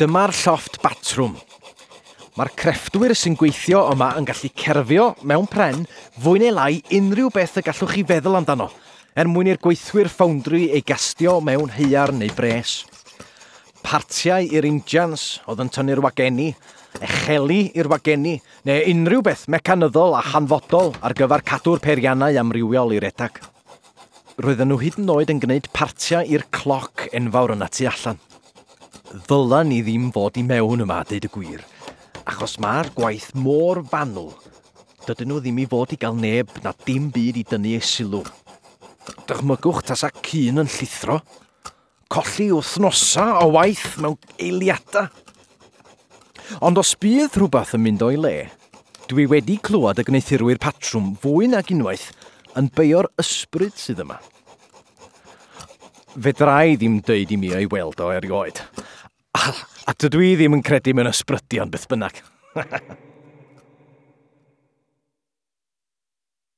Dyma'r llofft batrwm. Mae'r crefftwyr sy'n gweithio yma yn gallu cerfio mewn pren fwy neu lai unrhyw beth y gallwch chi feddwl amdano, er mwyn i'r gweithwyr ffowndri ei gastio mewn haearn neu bres. Partiau i'r injans oedd yn tynnu'r wagenni, echeli i'r wagenni, neu unrhyw beth mecanyddol a hanfodol ar gyfer cadw'r peiriannau amrywiol i redag. Roedden nhw hyd yn oed yn gwneud partiau i'r cloc enfawr yna tu allan. Ddyla ni ddim fod i mewn yma, deud y gwir, achos mae'r gwaith mor fanwl. Dydyn nhw ddim i fod i gael neb na dim byd i dynnu eu sylw. Dychmygwch tasa cyn yn llithro. Colli wythnosa o waith mewn eiliadau. Ond os bydd rhywbeth yn mynd o'i le, dwi wedi clywed y gwneuthurwyr patrwm fwy nag unwaith yn beio'r ysbryd sydd yma. Fedra i ddim deud i mi o'i weld o erioed. A dydw i ddim yn credu mewn ysbrydion beth bynnag.